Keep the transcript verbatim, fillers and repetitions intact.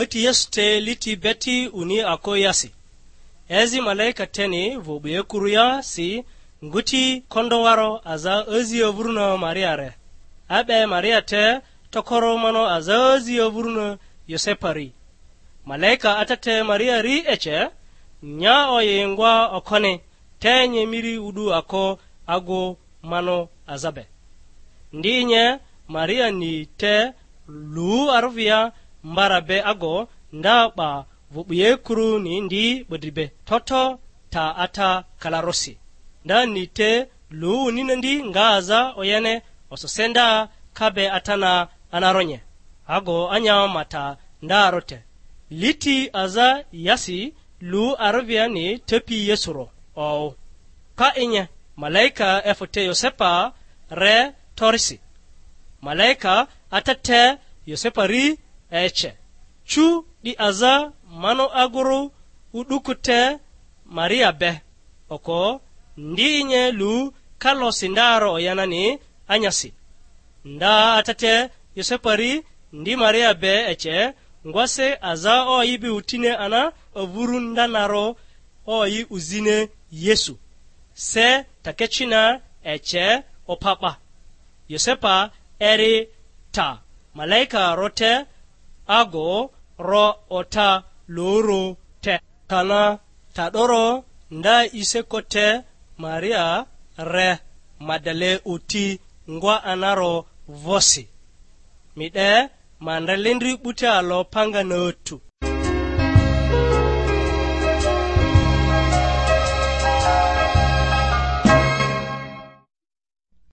Ati Yesu te liti beti uni ako yasi. Ezi malaika teni vᴜ 'buyekuruya si nguti kondowaro aza azi avuruna Mariare. A'be Maria te tokoro mano aza azi avuruna Yosepari. Malaika Ata te Maria ri ece, nya oyi ngwa okoni, te nye miri udu ako agu mano aza be. Ndi nye Maria ni te lu arvia mbara be ago nda 'ba vᴜ 'buyekuru ni ndi 'bodri be toto ta ata kalarosi. Nda ni te lu unina ndi nga aza oyene osose nda ka be atana anaronye. Ago anya mata nda rote. Liti aza yasi lu arviani tepi Yesu ro oᴜ. Ka inye, malaika efᴜ te Yosepa re torisi. Malaika Ata te Yosepa ri ece. Cu di aza mano aguru uduku te Maria be. Oko ndi inye lu kalosi ndaro oyanani anyasi. Nda Ata te Yosepa ri ndi Maria be ece, ngwase aza oyi be utine ana avuru ndanaro oyi uzine Yesu. Se takecina ece opa 'ba. Yosepa eri ta malaika rote ago ro ota loro te. Kana ta 'doro nda iseko te Maria re Madale oti ngwa anaro vosi. Mi 'de ma ndre lindri 'buta alo panga na otu.